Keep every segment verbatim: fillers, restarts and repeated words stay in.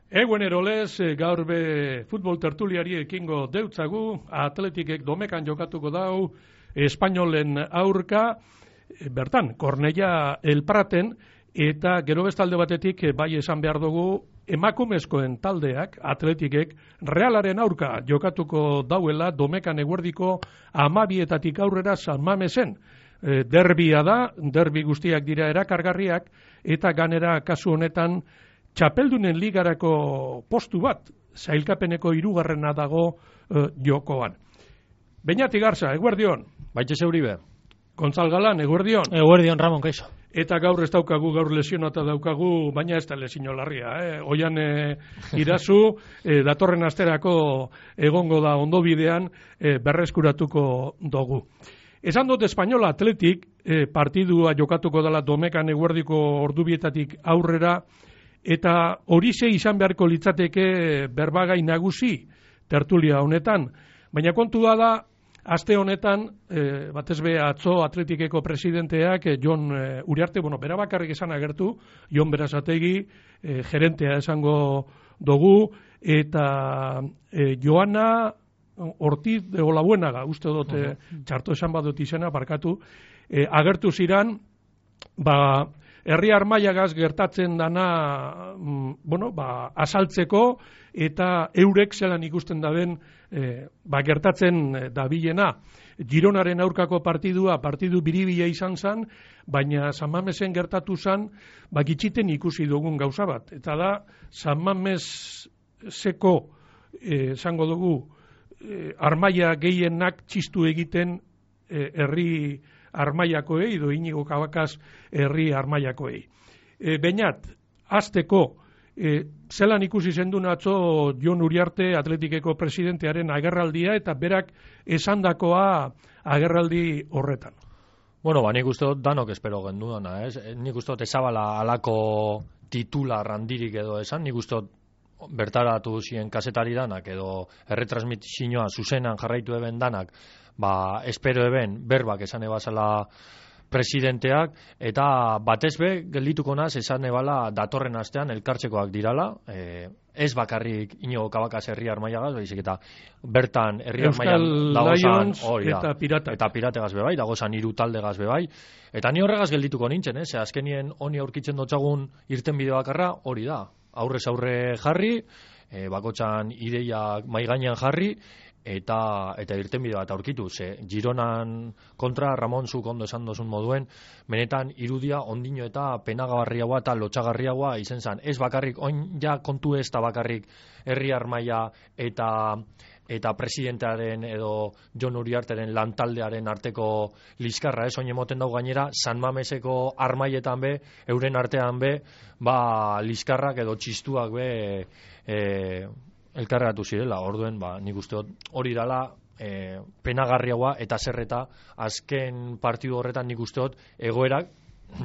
Eguen erolez, gaur be futbol tertuliari ekingo deutzagu, Atletikek domekan jokatuko dau, Espainolen aurka, bertan, Kornellà El Praten, eta gero bestalde batetik, bai esan behar dugu, emakumezkoen taldeak, Atletikek, Realaren aurka jokatuko dauela, domekan eguerdiko amabietatik aurrera San Mamesen. E, derbia da, derbi guztiak dira erakargarriak, eta ganera kasu honetan, Txapeldunen ligarako postu bat, zailkapeneko hirugarrena dago uh, jokoan. Beñati Garza, eguerdion. Baitxe zeuribe. Gontzal Galan, eguerdion. Eguerdion, Ramon, kaixo. Eta gaur ez daukagu, gaur lesionata daukagu, baina ez da lesio larria. Eh? Oian eh, irazu, eh, datorren asterako egongo da ondobidean eh, berreskuratuko dugu. Esan dut Espainola Atletik, eh, partidua jokatuko dela domekan eguerdiko ordubietatik aurrera, eta horixe izan beharko litzateke berbagai nagusi tertulia honetan. Baina kontua da, aste honetan, e, batez be atzo Atletikeko presidenteak, e, Jon e, Uriarte, bueno, bera bakarrik esan agertu, Jon Berazategi, e, gerentea esango dugu, eta e, Joana Ortiz de Olabuenaga, uste dut, e, txarto esan badut izena, barkatu, e, agertu ziran, ba, herri armailagaz gertatzen dana, mm, bueno, ba, asaltzeko eta eurek zelan ikusten daben e, ba, gertatzen dabilena. Gironaren aurkako partidua, partidu biribila izan zen, baina San Mamesen gertatu zen, ba, gitxiten ikusi dugun gauza bat. Eta da, San Mameseko, esango e, dugu, e, armaia gehienak txistu egiten e, herri armaiakoei, edo Inigo Kabakaz herri armaiakoei. E, Beñat, azteko, e, zelan ikusi zendun atzo Jon Uriarte Atletikeko presidentearen agerraldia, eta berak esandakoa agerraldi horretan. Bueno, ba, nik uste dut danok espero genduana, ez? Nik uste dut ezabala alako titular handirik edo esan, nik uste dut bertaratu ziren kazetari danak, edo erretransmisioa zuzenan jarraitu eben danak, ba, espero eben berbak esan ebazala presidenteak, eta batez be, geldituko naz, esan ebala datorren astean elkartzekoak dirala, e, ez bakarrik Inigo Kabakaz herri armaiagaz, baizik eta bertan herri armaian dagozan, hori da, eta pirata. Eta pirategaz bebai, dagozan hiru taldegaz bebai, eta ni horregaz geldituko nintzen, eh? Ze azkenien honi aurkitzen dotzagun irten bide bakarra, hori da, aurrez aurre jarri, e, bakotxan ideiak maigainan jarri, eta eta irtenbide bat aurkitu, ze Gironan kontra Ramon zuk ondo esan dozun moduen, benetan irudia ondino eta penagabarriagoa eta lotxagarriagoa izen zen. Ez bakarrik, oin ja kontu ez da bakarrik herri armaia eta eta presidentearen edo Jon Uriarteren lantaldearen arteko liskarra, ez, oin emoten dago gainera, San Mameseko armaietan be, euren artean be, ba, liskarrak edo txistuak be, e, elkarregatu zirela, orduen, ba, nik uste hori dala e, penagarriagoa eta zerreta azken partidu horretan nik uste egoerak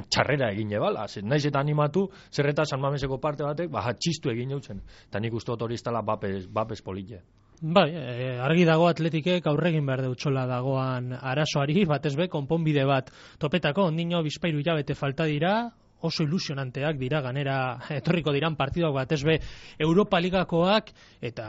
txarrera egin ebala, naiz eta animatu zerreta San Mameseko parte batek, ba, txistu egin eutzen, eta nik uste hori iztala bapes, bapes polite. Bai, e, argi dago Atletikek aurregin behar deutsola dagoan arazoari, batez be, konponbide bat topetako, ondino bizpairu hilabete falta dira, oso ilusionanteak dira, ganera etorriko diran partiduak batez be Europa Ligakoak, eta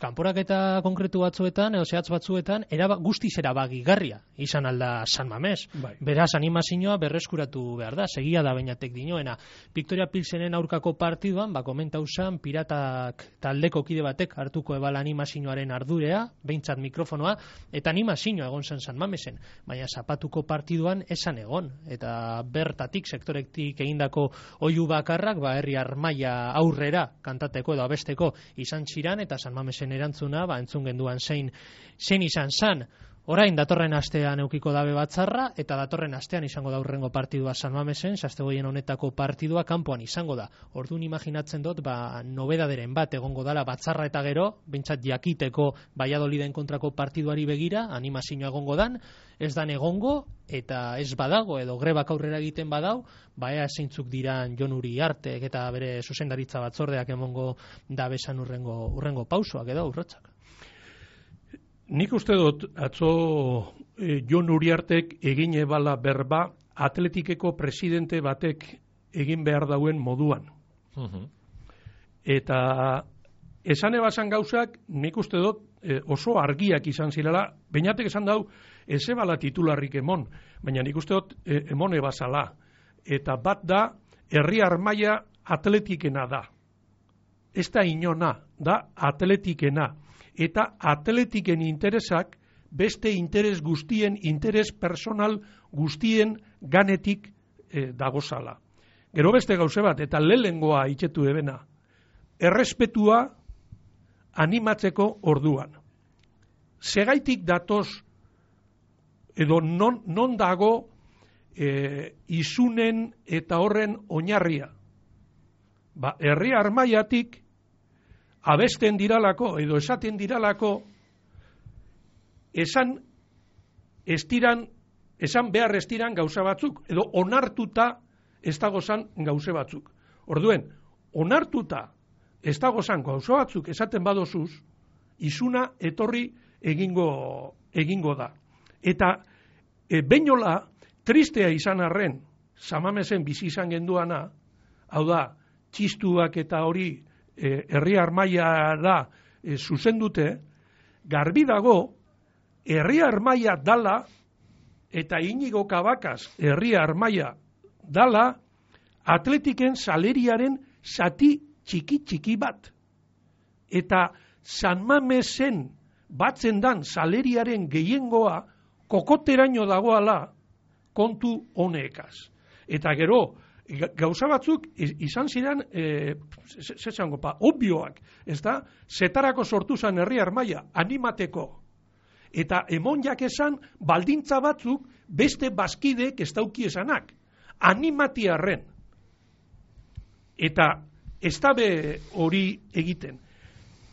kanporaketa konkretu batzuetan, edo zehatz batzuetan, eraba, guztiz erabagigarria izan alda San Mames. Bai. Beraz, animazioa berreskuratu behar da, segia da Beñatek dinoena. Victoria Pilsenen aurkako partiduan, ba, komentau zan, piratak taldeko kide batek hartuko ebala animazioaren ardurea, behintzat mikrofonoa, eta animazioa egon zen San Mamesen. Baina zapatuko partiduan esan egon, eta bertatik, sektorektik egindako oihu bakarrak, ba, herri armaia aurrera kantateko edo abesteko izan ziran, eta San Mamesen erantzuna, ba, entzun genduan zein, zein izan zan. Orain datorren astean eukiko dabe batzarra, eta datorren astean izango da urrengo partidua San Mamesen, sastegoien honetako partidua kanpoan izango da. Orduan imaginatzen dut, ba, nobedaderen bat egongo dala batzarra eta gero, bintzat jakiteko Valladoliden kontrako partiduari begira, animazioa egongo dan, ez dan egongo, eta ez badago, edo grebak aurrera egiten badau, ba ea zeintzuk diran Jon Uriartek eta bere zuzendaritza batzordeak emongo dabesan urrengo, urrengo pausoak edo urratsak. Nik uste dut, atzo e, Jon Uriartek egin ebala berba Atletikeko presidente batek egin behar dauen moduan. Uh-huh. Eta esan ebasan gauzak, nik uste dut e, oso argiak izan zirela, bainatek esan dau, ez ebala titularrik emon, baina nik uste dut e, emon ebazala. Eta bat da, herri armaia atletikena da. Ez da inona, da atletikena. Eta atletiken interesak beste interes guztien, interes personal guztien ganetik e, dagozala. Gero beste gauze bat, eta lehengoa itxetu ebena, errespetua animatzeko orduan. Segaitik datoz, edo non, non dago e, izunen eta horren oinarria. Ba, herri armaiatik abesten diralako, edo esaten diralako, esan estiran, esan behar estiran gauza batzuk, edo onartuta ez dagozan gauze batzuk. Orduen, onartuta ez dagozan gauza batzuk esaten badozuz, izuna etorri egingo, egingo da. Eta e, beinola, tristea izan arren, Samamesen bizi izan genduana, hau da, txistuak eta hori e, herri armaia da e, zuzendute, garbi dago, herri armaia dala, eta Inigo Cabacas herri armaia dala, atletiken saleriaren zati txiki-txiki bat. Eta San Mamesen batzen dan saleriaren gehiengoa kokoteraino dagoala kontu honekaz. Eta gero, gauza batzuk izan ziren, e, zezango pa, obvioak, ez da, zetarako sortu zen herri armaia, animateko. Eta emon esan baldintza batzuk beste bazkideek ez dauki esanak. Animatiarren. Eta ez dabe hori egiten.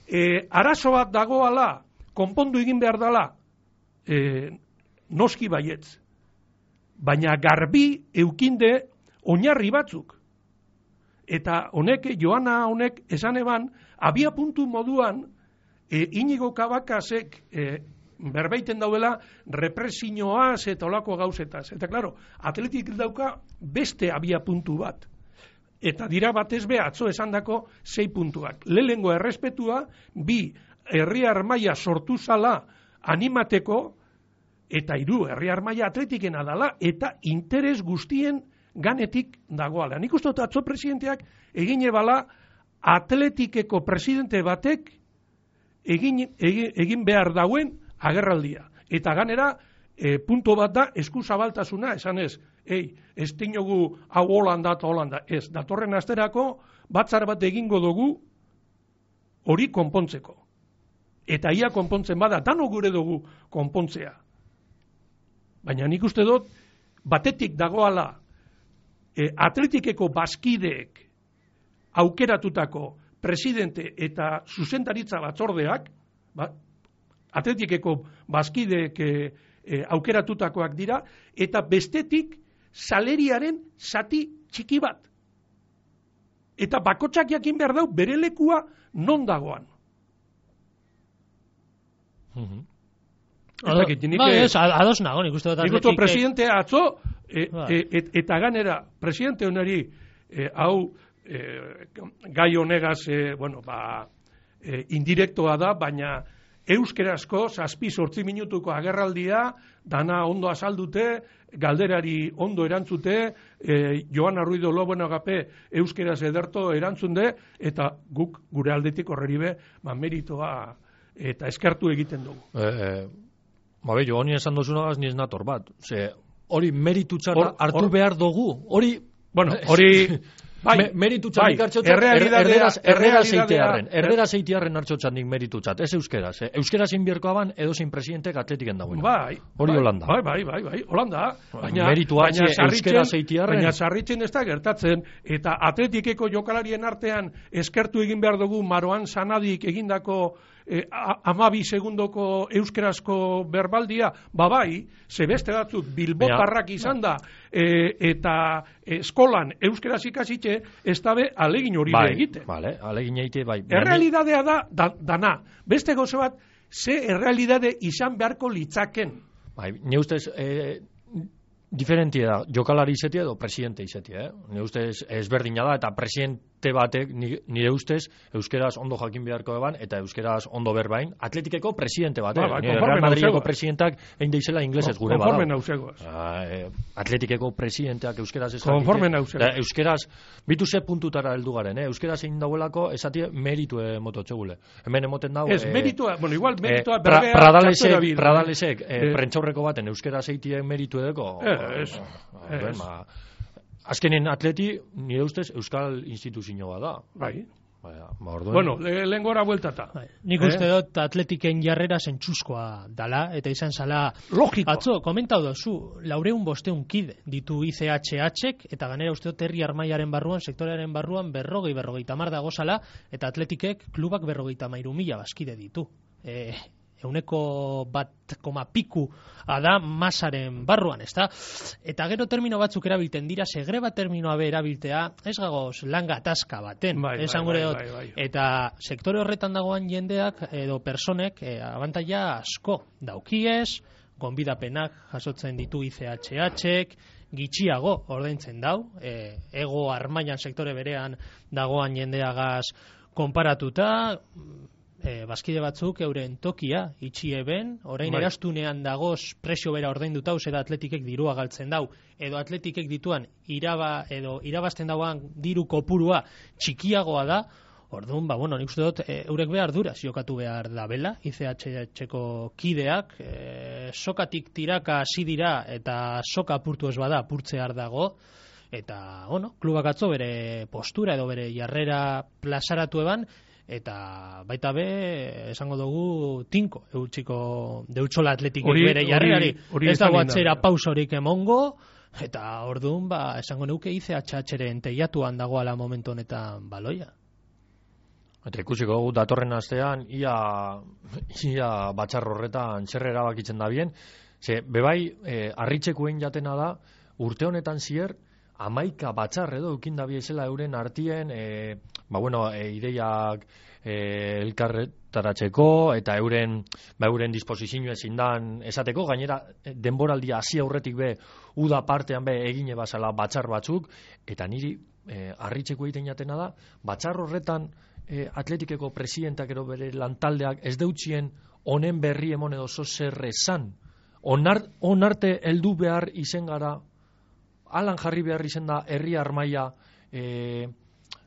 E, arazo bat dagoala, konpondu egin behar dela, e, noski baietz. Baina garbi eukinde oinarri batzuk. Eta honek, Joana honek esan eban, abia puntu moduan, e, Inigo Cabacasek e, berbeiten dauela represioaz eta olako gauzetaz. Eta klaro, atletik dauka beste abia puntu bat. Eta dira batez be atzo esandako sei puntuak. Lehengo errespetua, bi herri armaia sortu zala animateko, eta hiru herri armaia atletikena dala, eta interes guztien ganetik dagoala. Nik uste dut atzo presidenteak egin ebala atletikeko presidente batek egin, egin, egin behar dauen agerraldia. Eta ganera, e, punto bat da, eskuzabaltasuna, esan ez, ei, ez dinogu hau Holanda eta Holanda, ez, datorren asterako batzar bat egingo dugu hori konpontzeko. Eta ia konpontzen bada, dano gure dugu konpontzea. Baina nik uste dut, batetik dagoala e, atletikeko bazkideek aukeratutako presidente eta zuzendaritza batzordeak, ba, atletikeko bazkideek e, e, aukeratutakoak dira, eta bestetik saleriaren zati txiki bat. Eta bakotsak jakin behar dau bere lekua non dagoan. Mm-hmm. Ba, ez, ados nago, nik uste dut atletik... Nik uste presidente atzo, e, e, et, eta ganera, presidente honari, e, hau, e, gai honegaz, e, bueno, ba, e, indirektoa da, baina euskerazko, zazpi sortzi minutuko agerraldia, dana ondo azaldute, galderari ondo erantzute, e, Joana Ruido Lobono gape euskeraz ederto erantzunde, eta guk gure aldetik horreri be, ba, meritoa eta eskertu egiten dugu. E, e, ba, be, jo, honi esan dozunagaz niz nator bat. Ze, hori meritu txarra hartu or, behar dugu. Hori, bueno, hori... Bai, Me, meritu txanik bai, erderaz zeitearren, erderaz zeitearren hartxotxanik meritu txat, ez euskeraz, eh? Euskeraz inbierkoa ban edo zein presidentek atletiken dagoen. Bai, hori bai, Holanda. Bai, bai, bai, bai, Holanda. Baina, meritua baina euskera zeitearren. Baina sarritzen ez da gertatzen, eta atletikeko jokalarien artean eskertu egin behar dugu Maroan Sanadik egindako eh, amabi segundoko euskerazko berbaldia, ba bai, zebeste batzuk bilbotarrak izan da, eh, eta eskolan euskeraz ikasitxe, ez dabe alegin hori bai, egite. Vale, alegin egite, bai. Errealidadea da, da, dana. Beste gozo bat, ze errealidade izan beharko litzaken. Bai, ne ustez, eh, diferentia da, jokalari izetia edo presidente izetia, eh? Ne ustez, ezberdina da, eta presidente te batek nire ustez euskeraz ondo jakin beharko eban eta euskeraz ondo berbain atletikeko presidente batek. Ba, ba, Real Madrideko presidentak egin deizela inglesez gure bada. Konforme nausegoaz. Ah, eh, atletikeko presidenteak euskeraz ez Konforme nausegoaz. Euskeraz, bitu ze puntutara heldu garen, eh? Euskeraz egin dauelako esatie meritue mototxegule. Hemen emoten dago... Ez, meritua, bueno, igual meritua eh, pra, berbea... Pradalesek, pradalesek eh, eh, prentxaurreko baten euskeraz eitie meritu edeko... Eh, ez, ez. Azkenen atleti, nire ustez, euskal instituzio bat da. Bai. Ba, orduen... Bueno, le, lehen gora bueltata. Bai. Nik uste eh? dut atletiken jarrera zentxuzkoa dala, eta izan zala... Logiko. Atzo, komentau dozu, laureun bosteun kide ditu I C H H-ek, eta ganera uste dut herri armaiaren barruan, sektorearen barruan, berrogei, berrogei tamar dago zala, eta atletikek klubak berrogei tamairu mila baskide ditu. E, euneko bat koma piku da masaren barruan, ezta? Eta gero termino batzuk erabilten dira, segreba terminoa be erabiltea, ez gagoz langa ataska baten, bai, esan bai, gure bai, dut. bai, bai. Eta sektore horretan dagoan jendeak edo personek e, abantaila asko daukiez, gonbidapenak jasotzen ditu I C H H-ek, gitxiago ordaintzen dau, e, ego armailan sektore berean dagoan jendeagaz konparatuta, e, bazkide batzuk euren tokia itxi eben, orain bai. Erastunean dagoz presio bera ordainduta, zera atletikek dirua galtzen dau, edo atletikek dituan iraba, edo irabazten dauan diru kopurua txikiagoa da, orduan, ba, bueno, nik uste dut, e, eurek behar duraz jokatu behar da bela, I C H H-eko kideak, e, sokatik tiraka hasi dira, eta soka apurtu ez bada, apurtzear dago, eta, bueno, klubak atzo bere postura edo bere jarrera plazaratu eban, eta baita be, esango dugu, tinko, eutxiko deutxola atletikek bere jarrerari, ez dago atzera pausorik emongo, eta orduan, ba, esango neuke I C H H-ren teiatuan dagoala momentu honetan baloia. Eta ikusiko dugu datorren astean, ia, ia batxar horretan txerre erabakitzen da bien, ze, bebai, e, arritxekuen jatena da, urte honetan zier, amaika batxar edo eukin da biezela euren artien, e, ba bueno, e, ideiak e, elkarretaratzeko, eta euren, ba euren disposizio ezin dan esateko, gainera denboraldia hasi aurretik be, uda partean be egine bazala batxar batzuk, eta niri e, arritxeko egiten jatena da, batxar horretan, E, atletikeko presidentak ero bere lantaldeak ez deutxien honen berri emon edo zer esan. Onar, onarte heldu behar izen gara, alan jarri behar izen da herri armaia, e,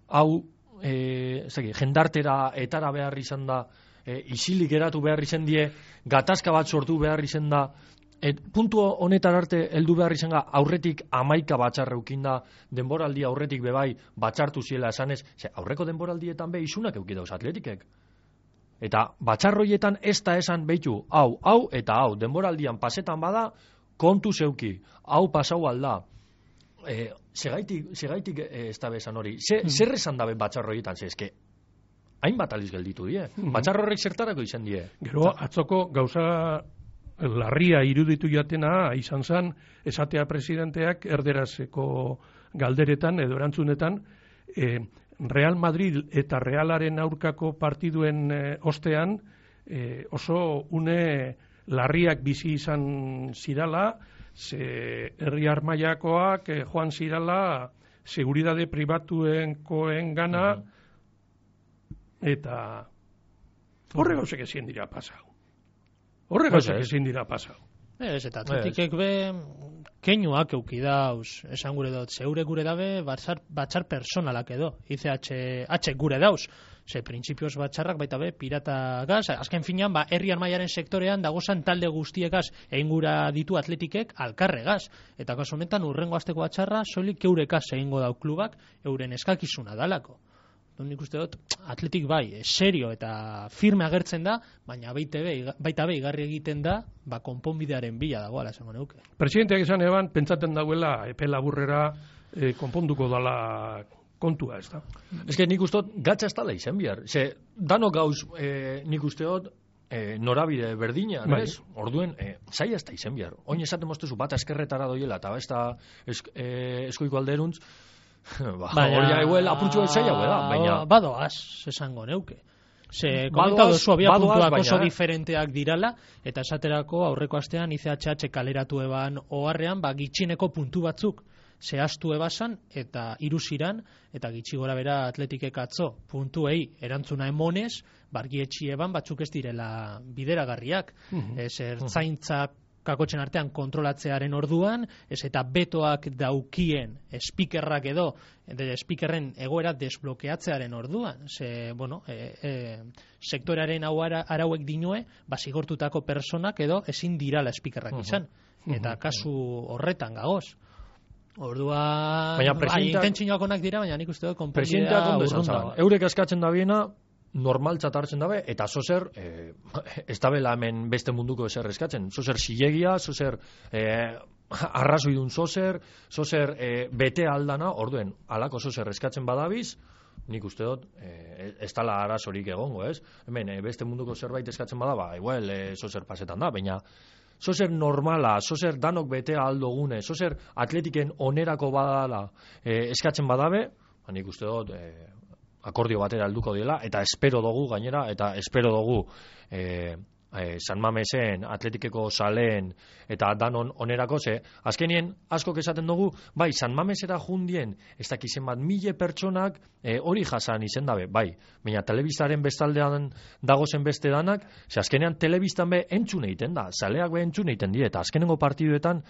hau, e, zeki, jendartera etara behar izan da, e, isilik geratu behar izan die, gatazka bat sortu behar izan da, et, puntu honetar arte heldu behar izan ga, aurretik amaika batxarreukin da, denboraldia aurretik bebai batxartu ziela esanez, ze aurreko denboraldietan be isunak euki dauz atletikek. Eta batxarroietan ez da esan behitu, hau, hau eta hau, denboraldian pasetan bada, kontu zeuki, hau pasau alda. E, segaitik, segaitik e, ez da bezan hori. Ze, mm. Zer esan dabe batxarroietan, ze eske, hainbat aliz gelditu die. Mm. Batxarrorek zertarako izan die. Gero, atzoko gauza larria iruditu jatena izan zen, esatea presidenteak erderazeko galderetan edo erantzunetan, e, Real Madrid eta Realaren aurkako partiduen e, ostean e, oso une larriak bizi izan zirala, ze herri armaiakoak e, joan zirala seguridade pribatuenkoen gana, eta horre gauzek ezin dira pasau. Horre gauzak ezin dira pasau. Ez, eta atletikek be keinuak eukidauz, esan gure dut, zeure gure dabe batxar, batxar personalak edo, I C H gure dauz, ze printzipioz batxarrak baita be pirata gaz, azken finean, ba, herri armaiaren sektorean dagozan talde guztiekaz egin gura ditu atletikek alkarregaz, eta kasu honetan urrengo asteko batxarra soilik eurekaz egingo dau klubak euren eskakizuna dalako. Nik uste dut, atletik bai, serio eta firme agertzen da, baina baita be, baita be igarri egiten da, ba, konponbidearen bila dagoela, esango neuke. Presidenteak esan eban, pentsaten dauela epe laburrera e, konponduko dala kontua, ez da? Ez que nik uste dut, gatsa ez dala izen bihar. Ze, dano gauz e, nik uste dut, e, norabide berdina, bai. Ez? Orduen, e, zaila ez da izen bihar. Oin esaten moztezu, bat eskerretara doiela, eta ez da esk, e, eskoiko alderuntz, ba, hori eguel apurtxo zaila da, baina... Badoaz, esango neuke. Ze, komentau dozu, abia puntuak oso diferenteak dirala, eta esaterako aurreko astean I C H H kaleratu eban oharrean, ba, gitxineko puntu batzuk zehaztu ebasan eta iruziran, eta gitxi gora bera Atletikek atzo puntuei erantzuna emonez, bargietxi eban batzuk ez direla bideragarriak. Mhm. Ez ertzaintza kakotxen artean kontrolatzearen orduan, ez eta betoak daukien speakerrak edo, de speakerren egoera desblokeatzearen orduan. Ze, bueno, e, e, sektorearen hau ara, arauek dinue, basigortutako personak edo ezin dirala speakerrak izan. Eta kasu horretan gagoz. Ordua, baina bai, intentzioak onak dira, baina nik uste dut konponbidea konponbidea urrun dago. Eurek eskatzen da biena, normaltzat hartzen dabe, eta zozer, eh, ez dabela hemen beste munduko ezer eskatzen. Zozer zilegia, zozer eh, arrazoidun zozer, zozer eh, bete aldana, orduen, alako zozer eskatzen badabiz, nik uste dut, eh, ez tala arazorik egongo, ez? Hemen, eh, beste munduko zerbait eskatzen badaba, igual, eh, zozer pasetan da, baina zozer normala, zozer danok bete aldogune, zozer atletiken onerako badala eh, eskatzen badabe, nik uste dut, eh, akordio batera helduko dela, eta espero dugu gainera, eta espero dugu e, e, San Mamesen, Atletikeko saleen, eta danon onerako, ze, azkenien askok esaten dugu, bai, San Mamesera jundien, ez dakizen bat mile pertsonak e, hori jasan izen dabe, bai, baina telebistaren bestaldean dagozen beste danak, ze azkenean telebistan be entzun egiten da, saleak be entzun egiten die, eta azkenengo partiduetan,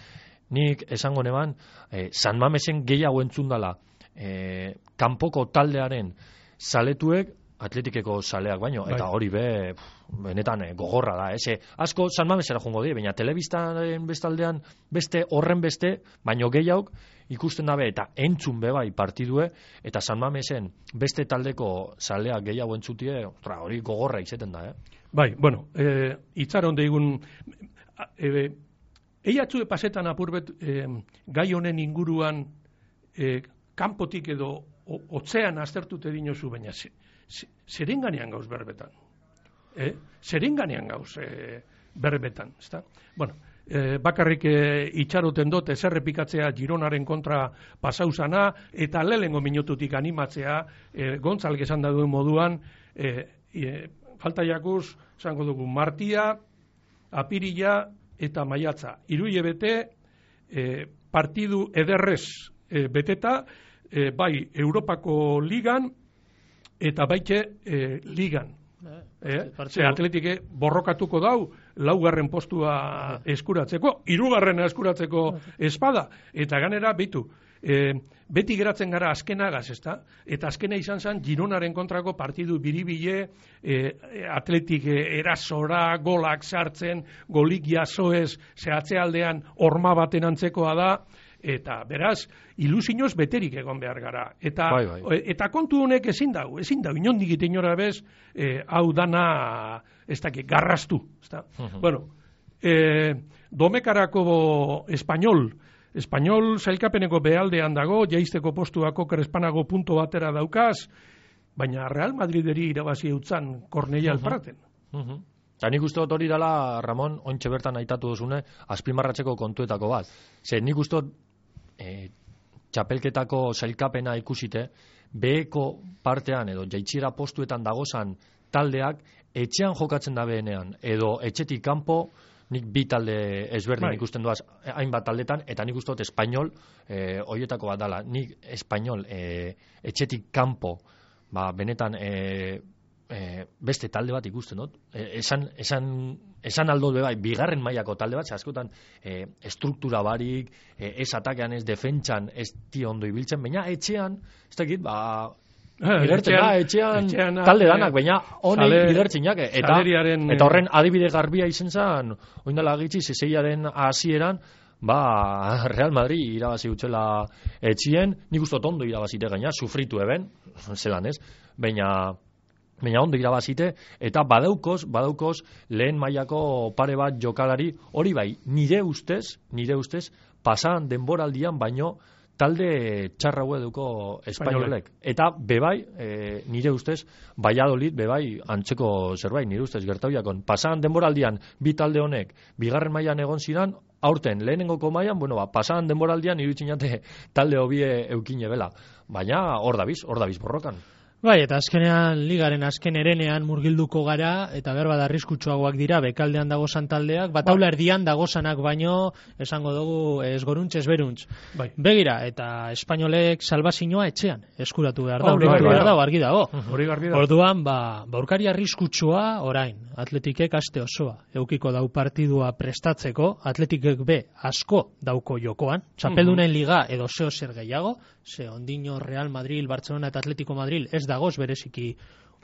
nik esango neban, e, San Mamesen gehiago entzun dala, e, kanpoko taldearen zaletuek Atletikeko zaleak baino, bai. Eta hori be, pff, benetan eh, gogorra da, eze, asko San Mamesera jongo die, baina telebistaren bestaldean beste horren beste, baino gehiago ikusten dabe eta entzun be bai partidue, eta San Mamesen beste taldeko zaleak gehiago entzutie, ostra, hori gogorra izeten da, eh? Bai, bueno, eh, itxaron deigun, eh, eiatzu pasetan apurbet eh, gai honen inguruan eh, kanpotik edo otzean aztertute dinozu, baina zeren ganean gauz berbetan. Eh? Zeren ganean gauz eh, berbetan. Ezta? Bueno, eh, bakarrik eh, itxaroten dut ezerrepikatzea Gironaren kontra pasauzana, eta lehengo minututik animatzea eh, Gontzalek esan da duen moduan, eh, eh, falta jakuz, zango dugu, martia, apirila eta maiatza. Hiru bete eh, partidu ederrez eh, beteta, E, bai Europako ligan eta baite e, ligan. Eh? Ze Atletike borrokatuko dau laugarren postua eskuratzeko, hirugarrena eskuratzeko espada, eta ganera bitu. E, beti geratzen gara azkenagaz, ezta? Eta azkena izan zen Gironaren kontrako partidu biribile, e, Atletik erasora, golak sartzen, golik jasoez, zehatzealdean horma baten antzekoa da, eta beraz, ilusioz beterik egon behar gara. Eta, bai, bai. eta kontu honek ezin dau, ezin dau, inondik ite inora bez, eh, hau dana, ez dakit, garrastu. Ezta? Uh-huh. Bueno, eh, domekarako Espainol, Espainol zailkapeneko behaldean dago, jaizteko postuako krespanago punto batera daukaz, baina Real Madrideri irabazi eutzan Korneia uh-huh. alpraten. Uh-huh. Eta nik uste dut hori dela, Ramon, ontxe bertan aitatu duzune, azpimarratzeko kontuetako bat. Ze nik uste dut, e, txapelketako zailkapena ikusite, beheko partean edo jaitxiera postuetan dagozan taldeak etxean jokatzen da behenean, edo etxetik kanpo, nik bi talde ezberdin bai. Ikusten duaz hainbat taldetan, eta nik uste dut Espainol, e, horietako bat dala, nik Espainol e, etxetik kanpo, ba, benetan, e, E, beste talde bat ikusten dut. E, esan, esan, esan aldo bai, bigarren mailako talde bat, askotan e, estruktura barik, e, ez atakean, ez defentsan, ez ti ondo ibiltzen, baina etxean, ez dakit, ba, igertzen da, etxean, etxean talde danak, baina honek igertzen jake. Eta, eta horren adibide garbia izen zen, oindala gitzi, zeseiaren hasieran, ba, Real Madrid irabazi utxela etxien, nik uste ondo irabazite gaina, sufritu eben, zelan ez, baina baina ondo irabazite, eta badaukoz, badaukoz, lehen mailako pare bat jokalari, hori bai, nire ustez, nire ustez, pasan denboraldian baino, talde txarra eduko Espainolek. Eta bebai, e, nire ustez, Valladolid bebai antzeko zerbait, nire ustez gertauiakon. Pasan denboraldian, bi talde honek, bigarren mailan egon zidan, aurten, lehenengoko mailan, bueno, ba, pasan denboraldian, iruditzen jate, talde hobie eukine bela. Baina, hor dabiz, hor dabiz borrokan. Bai, eta azkenean ligaren azken erenean murgilduko gara, eta behar bada arriskutsuagoak dira, bekaldean dagozan taldeak, bataula erdian dagozanak baino, esango dugu ez goruntz, ez beruntz. Bai. Begira, eta espainolek salbazioa etxean eskuratu behar da, Hori hori garbi behar dago. da, argi dago. Hori garbi da. Orduan, ba, baurkari arriskutsua orain, Atletikek aste osoa, eukiko dau partidua prestatzeko, Atletikek be asko dauko jokoan, txapeldunen liga edo zeo zer gehiago, ze ondino Real Madrid, Barcelona eta Atletico Madrid ez dagoz bereziki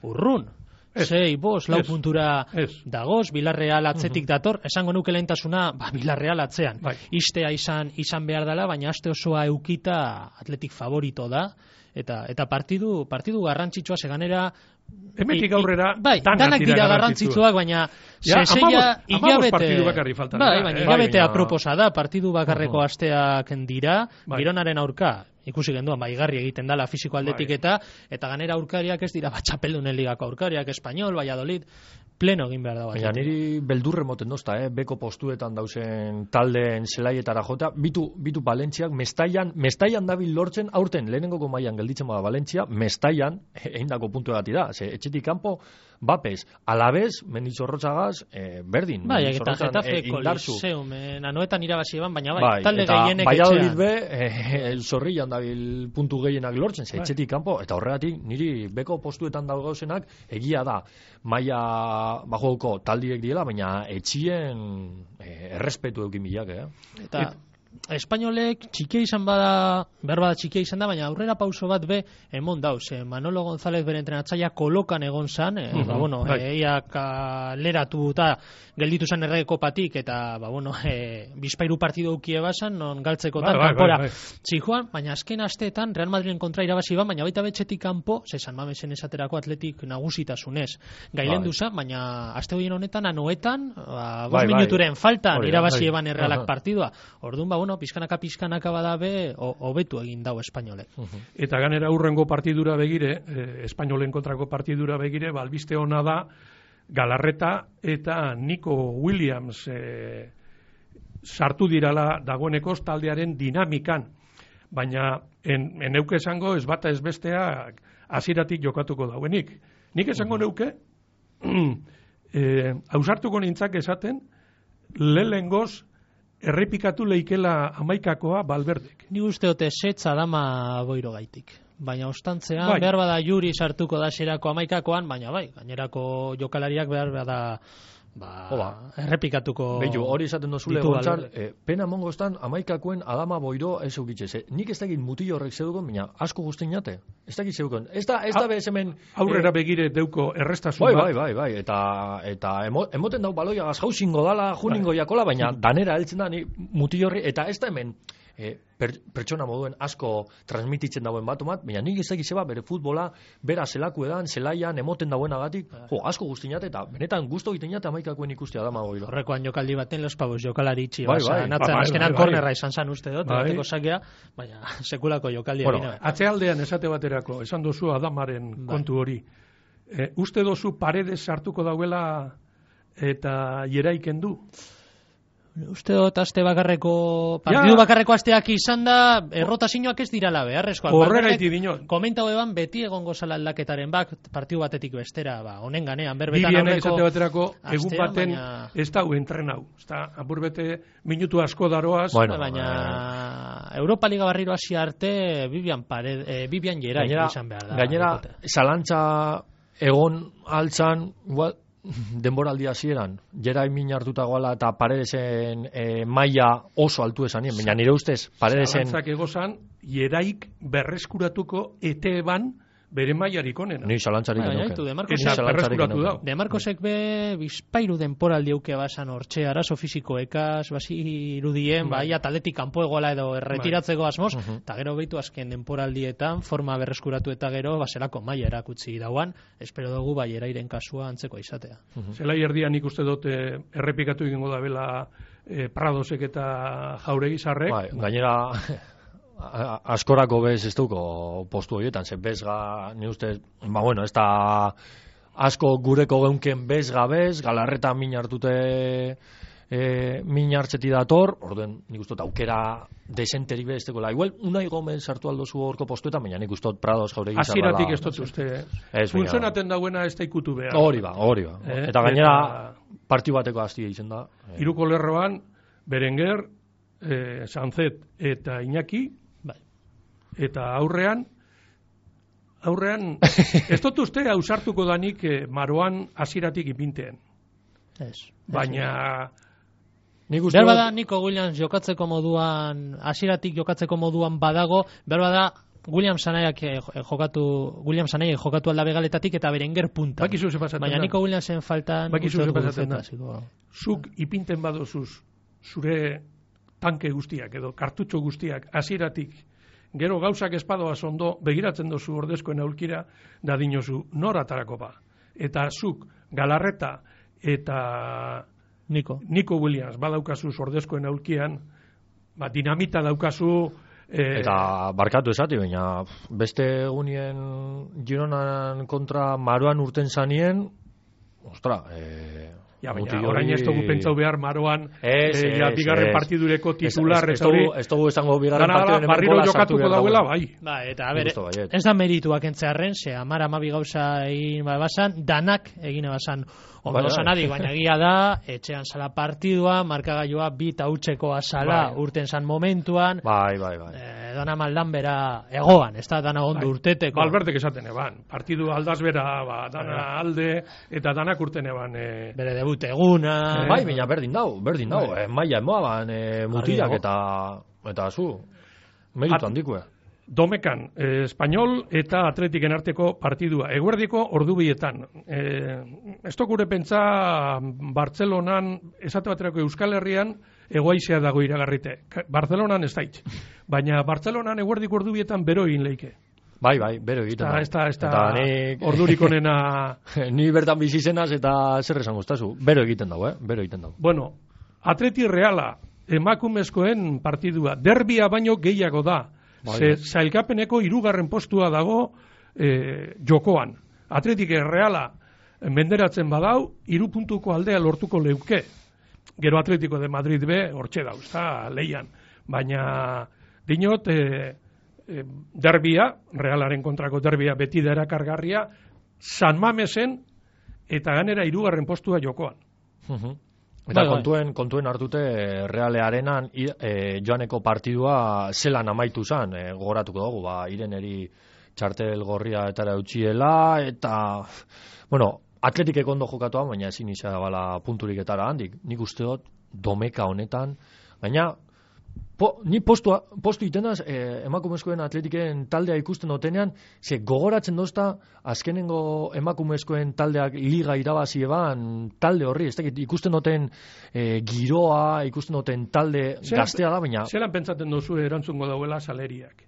urrun. Ez. Sei, bos, lau Ez. puntura Ez. dagoz, Villarreal atzetik dator, esango nuke lehentasuna, ba, Villarreal atzean. Bai. Istea izan izan behar dela, baina aste osoa eukita Atletik favorito da, eta eta partidu partidu garrantzitsua seganera Hemetik aurrera bai, danak danak dira dira garrantzitsuak. garrantzitsuak, baina Ja, seseia hamabost- hamabost hilabete partidu bakarrik falta bai, dira, baina eh? hilabete Bai, baina- aproposa da, partidu bakarreko Uhum. asteak dira, Bai. Gironaren aurka ikusi genduan, bai, garri egiten dala fisiko aldetik Bai. eta eta ganera aurkariak ez dira bat txapeldunen ligako aurkariak, Espanyol, Valladolid, pleno egin behar da bat. Baina niri beldurre moten dozta, eh? Beko postuetan dauzen taldeen zelaietara jota, bitu, bitu Valentziak, Mestaian, Mestaian dabil lortzen, aurten lehenengoko mailan gelditzen bada Valentzia, Mestaian, eindako puntu egati da, ze etxetik kanpo, bapez, alabez, Mendizorrotzagaz, eh, berdin, Bai, eta Mendizorrotzan, Getafe eh, indartzu. Koliseumen, anoetan irabazi eban, baina bai, Bai, talde eta gehienek Valladolid etxean. be, eh, zorrillan dabil puntu gehienak lortzen, ze Bai. etxetik kanpo, eta horregatik niri beko postuetan daugauzenak egia da, maila bajoko taldiek diela, baina etxien eh, errespetu eukin bilak, eh? Eta Espainolek txikia izan bada, behar bada txikia izan da, baina aurrera pauso bat be emon dauz. Eh, Manolo González bere entrenatzaia kolokan egon zan, eh, Mhm, ba, bueno, bai. eh, ia kaleratu eta gelditu zen errege kopatik, eta ba, bueno, eh, bizpairu partidu eukie basan, non galtzekotan Bai, bai, kanpora bai, bai. zijoan, baina azken asteetan Real Madriden kontra irabazi ban, baina baita betxetik kanpo, ze San Mamesen esaterako Atletik nagusitasunez gailendu Bai. zen, baina aste horien honetan, anoetan, ba, Bai, bost bai. minuturen faltan Hori da, irabazi bai. eban errealak Aha. partidua. Orduan, ba, bueno, pizkanaka pizkanaka badabe, ho- hobetu egin dau Espainolek. Eta ganera urrengo partidura begire, eh, Espainolen kontrako partidura begire, ba, albiste ona da Galarreta eta Nico Williams eh, sartu dirala dagoeneko taldearen dinamikan. Baina en, en neuke esango ez bata ez bestea hasieratik jokatuko dauenik. Nik esango neuke eh, ausartuko nintzak esaten lehengoz errepikatu leikela amaikakoa Valverdek. Ni uste dute setza dama boiro gaitik. Baina ostantzean, Bai. behar bada Juri sartuko da xerako amaikakoan, baina bai, gainerako jokalariak behar bada ba, Hola. errepikatuko Beitu, hori esaten dozule ditu gontzal, Valverde. eh, pena mongostan amaikakoen adama boiro ez eukitxe. Ze, nik ez dakit mutillo horrek zeudukon, baina asko guztin jate. Ez dakit zeudukon. Ez da, ez da Ha- bez hemen... Aurrera eh, begire deuko errestasun Bai, bat. bai, bai, bai, eta, eta emo, emoten dau baloia gazjauzingo dala, juningo jakola, baina danera heltzen da, ni mutillo horri, eta ez da hemen eh, per, pertsona moduen asko transmititzen dauen batu bat, baina nik ez dakit zeba bere futbola, bera zelaku edan, zelaian, emoten dauenagatik, jo, asko guztinat, eta benetan gusto egiten jate amaikakoen ikustea dama goilo. Horrekoan jokaldi baten los pavos jokalari itxi Bai, basa, bai. natzen, Bai, azkenan bai, bai. kornerra izan zan uste dut, Bai. bateko sakea, baina sekulako jokaldi Bueno, egin. Atzealdean esate baterako, esan dozu Adamaren Bai. kontu hori. E, uste dozu paredes sartuko dauela eta jeraiken du? Uste dut aste bakarreko, partidu Ja. bakarreko asteak izan da, errotazioak ez dirala beharrezkoak. Horregaiti Valverdek dinot. Komentau eban beti egongo zala aldaketaren bak, partidu batetik bestera, ba, honen ganean, berbetan Bibienek aurreko esate baterako, egun astean, baten baina- ez dau entrenau. Ez da, apurbete minutu asko daroaz. Bueno, baina Europa Liga barriro hasi arte Bibian Pared, eh, Bibian Gerai Gainera, izan behar da. gainera Dekote. zalantza egon altzan, igual, denboraldi hasieran, jera min hartuta goala eta paredesen e, maila oso altu esanien, baina nire ustez, paredesen... Zalantzak egozan, jeraik berreskuratuko eteban bere mailarik onena. Ni zalantzarik Bai, baina genuke. ditu, De Marcos- Ni Eta zalantzarik berreskuratu genuke. dau. De Marcosek be bizpairu denporaldi euke basan hortxe, arazo fisikoekaz, basi irudien, Bai. bai, ataletik kanpo egoala edo erretiratzeko asmoz, Mhm. eta gero behitu azken denporaldietan, forma berreskuratu eta gero, baserako maila erakutsi dauan, espero dugu bai erairen kasua antzeko izatea. Zelai erdian nik uste dut eh, errepikatu egingo da bela eh, Pradosek eta Jauregi Sarrek. Bai, gainera a- askorako bez ez duko postu horietan, ze bezga, ni ustez, ba bueno, ez da asko gureko geunken bezga bez, galarreta min hartute e, min hartzeti dator, orduen nik uste aukera desenterik beztekola. Igual, Unai Gomez sartu aldozu horko postuetan, baina nik uste Prados jauregi zarrala. Hasieratik ez dut uste, funtzionaten dagoena ez da ikutu behar. Hori ba, hori ba. Eh, eta gainera, eta partiu bateko hastia izen da. Eh. Hiruko lerroan, Berenguer, eh, Sanzet eta Iñaki, bai. Eta aurrean, aurrean, ez dut uste ausartuko danik eh, Maroan hasieratik ipinteen. Ez. Baina... Nik uste... Behar bada, Nico Williams jokatzeko moduan, hasieratik jokatzeko moduan badago, behar bada, Williams anaiak jokatu, Williams anaiak jokatu aldabe galetatik eta Berenguer punta. Bakizu ze pasatzen da. Baina Nico Williamsen faltan... Bakizu ze pasatzen da. Zuk ipinten badozuz, zure tanke guztiak edo kartutxo guztiak hasieratik, gero gauzak espadoaz ondo, begiratzen dozu ordezkoen aulkira, da dinozu nor atarako ba. Eta zuk, Galarreta eta Nico, Nico Williams badaukazuz ordezkoen aulkian, ba, dinamita daukazu... Eh, eta barkatu esati, baina beste egunien Gironan kontra Maroan urten zanien, ostra, eh, ja, baina orain ez dugu pentsau behar Maroan es, eh, ja, es, bigarren es, partidureko titular ez dugu esango bigarren partiduren barriro jokatuko dauela, bai. Ba, eta a ber, ez da merituak entzearren, ze amar amabi gauza egin basan, danak egin basan ondo zanadik, baina egia da, etxean zala partidua, markagailua bi tautzeko azala urten zan momentuan, bai, bai, bai. Eh, dana maldan bera egoan, ez da dana ondo urteteko. Balbertek esaten eban, partidu aldaz bera, ba, dana alde, eta danak urten eban. Eh, Bere debut eguna. Eh, bai, baina berdin dau, berdin dau, eh, maia emoaban, eh, mutilak eta, eta zu, meritu handikoa. Domekan, eh, Espainol eta Atletiken arteko partidua. Eguerdiko ordubietan. Eh, ez gure pentsa Bartzelonan, esate baterako Euskal Herrian, egoaizea dago iragarrite. Bartzelonan ez daitz. Baina Bartzelonan eguerdiko ordubietan bero egin leike. Bai, bai, bero egiten da. Ez da, ez da, ordurik onena... Ni bertan bizizenaz eta zer esan guztazu. Bero egiten dago, eh? Bero egiten dago. Bueno, Atleti Reala, emakumezkoen partidua. Derbia baino gehiago da. Ze zailkapeneko hirugarren postua dago eh, jokoan. Atletik Reala menderatzen badau, hiru puntuko aldea lortuko leuke. Gero Atletiko de Madrid be, hortxe dauz, eta leian. Baina, dinot, eh, eh, derbia, Realaren kontrako derbia beti da erakargarria, San Mamesen eta ganera hirugarren postua jokoan. Uh-huh. Eta kontuen, kontuen hartute Realearenan e, joaneko partidua zelan amaitu zen, e, gogoratuko dugu, ba, Ireneri txartel gorria etara eutxiela, eta, bueno, Atletikek ondo jokatua, baina ezin izan bala punturik etara handik. Nik uste dut, Domeka honetan, baina, po, ni postua, postu itenaz, e, emakumezkoen Atletiken taldea ikusten dutenean, ze gogoratzen dozta, azkenengo emakumezkoen taldeak liga irabazi eban, talde horri, ez dakit, ikusten duten e, giroa, ikusten duten talde zelan, gaztea da, baina... Zelan pentsaten duzu erantzungo dauela saleriak?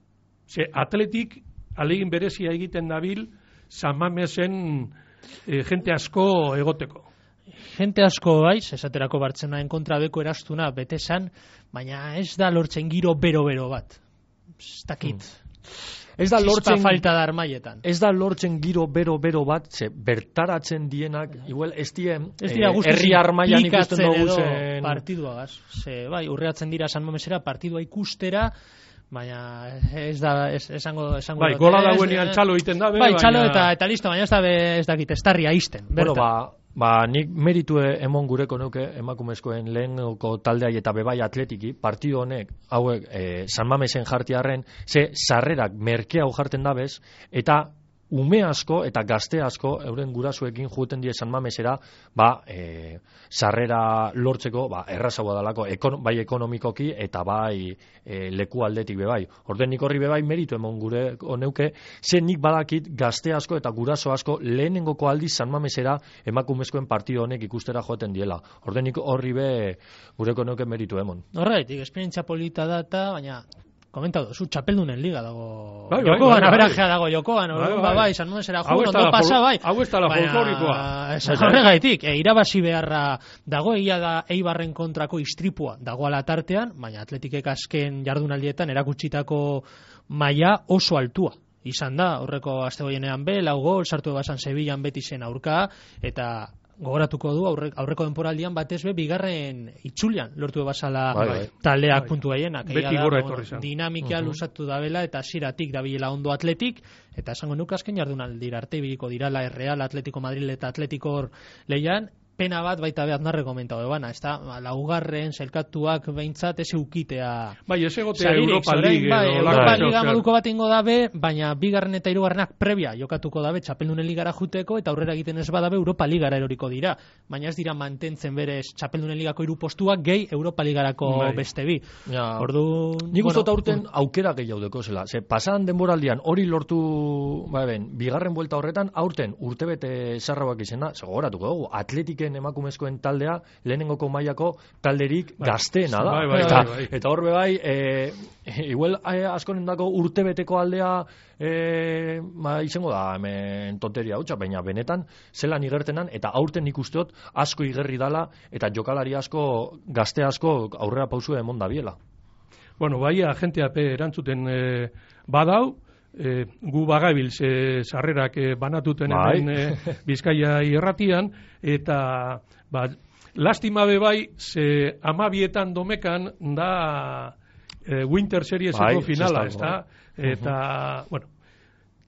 Ze Atletik, alegin berezia egiten dabil, San Mamesen e, jente asko egoteko. Jente asko baiz, esaterako Bartzelonaen kontra beko erastuna bete zan, baina ez da lortzen giro bero-bero bat. Ez dakit. Hmm. Ez da lortzen falta da armaietan. Ez da lortzen giro bero-bero bat, ze bertaratzen dienak, igual ez dien herri eh, armaian ikusten dugu zen... Partiduagaz. Ze, bai, urreatzen dira San Mamesera partidua ikustera, baina ez da ez, esango esango bai, gola dauenean txalo egiten da be, bai, txalo baina... eta eta listo, baina ez da be, ez dakit estarria izten. Bueno, ba, ba nik meritue emon gureko neuke emakumezkoen lehenko taldeai eta bebai Atletiki, partido honek hauek e, San Mamesen jartiarren, ze sarrerak merke hau jarten dabez eta ume asko eta gazte asko euren gurasuekin juten die San Mamesera, ba, e, sarrera lortzeko, ba, errazagoa dalako, ekon, bai ekonomikoki eta bai e, leku aldetik bebai. Orden nik horri bebai meritu emon gure oneuke, ze nik badakit gazte asko eta guraso asko lehenengoko aldiz San Mamesera emakumezkoen partido honek ikustera joten diela. Orden nik horri be gureko neuke meritu emon. Horretik, esperientzia polita data, baina komentatu, zu txapeldunen liga dago. Bai, bai, Jokoan, bai, aberajea dago Jokoan, bai, bai, bai, San Mamesera jugu, ondo pasa, bai. Hau ez da la folklorikoa. Horregaitik, e, irabazi beharra dago, egia da Eibarren kontrako istripua dago ala tartean, baina Atletikek azken jardunaldietan erakutsitako maila oso altua. Izan da, horreko aste goienean be, lau gol, sartu ebasan Sevillan beti zen aurka, eta gogoratuko du aurre, aurreko denporaldian batez be bigarren itzulian lortu basala bai, bai. taldeak bai. puntu gehienak. Beti gora etorri zen. Dinamika uh-huh. lusatu dabela eta hasieratik dabilela ondo Atletik, eta esango nuke azken jardunaldira arte ibiliko dirala Real, Atletico Madrid eta Atletikor leian. Pena bat baita be Aznarre komentatu ebana, ez da, laugarren selkatuak behintzat ez eukitea. Bai, ez egotea Europa League. Bai, Europa Liga moduko bat ingo dabe, baina bigarren eta hirugarrenak previa jokatuko dabe Txapeldunen Ligara juteko, eta aurrera egiten ez badabe Europa Ligara eroriko dira. Baina ez dira mantentzen berez Txapeldunen Ligako hiru postuak gehi Europa Ligarako bai. Beste bi. Ja. Ordu... Nik uste bueno, aurten aukera gehiago deko zela. Ze, pasan denboraldian hori lortu, ba ben, bigarren buelta horretan, aurten urtebete zarrabak izena, segoratuko dugu, Atletik emakumezkoen taldea lehenengoko mailako talderik bai. Gazteena da. Bai, bai, eta, bai, bai. eta horbe bai, e, igual e, askonendako urtebeteko aldea e, ma, izango da hemen tonteria hutsa, baina benetan zelan igertenan, eta aurten ikusteot asko igerri dala, eta jokalari asko, gazte asko aurrera pausua emon da biela. Bueno, bai, agenteape erantzuten e, badau, E, gu bagabilz e, sarrerak e, banatuten bai. hemen e, Bizkaia irratian, eta ba, lastima be bai, ze amabietan domekan da e, Winter Serieseko bai, finala, ez da? Eta, uh-huh. bueno,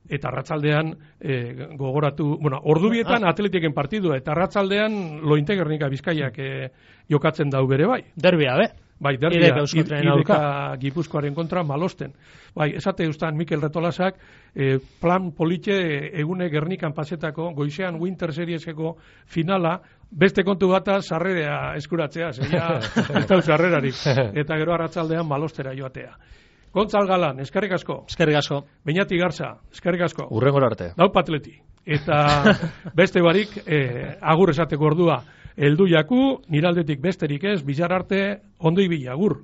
eta arratsaldean e, gogoratu, bueno, ordubietan ah. Atleteken partidua, eta arratsaldean Lointegernika Bizkaiak e, jokatzen dau bere bai. Derbia, be? Bai, derbia, ideka Gipuzkoaren kontra malosten. Bai, esate eustan Mikel Retolasak, eh, plan politxe egune Gernikan pasetako, goizean Winter Serieseko finala, beste kontu bata sarrerea eskuratzea, zeia ez da sarrerarik. Eta gero arratsaldean malostera joatea. Gontzal Galan, eskerrik asko. Eskerrik asko. Beñati Garza, eskerrik asko. Urrengora arte. Dau Patleti. Eta beste barik, eh, agur esateko ordua. Eldu jaku, niraldetik besterik ez, bizar arte, ondo ibili, agur.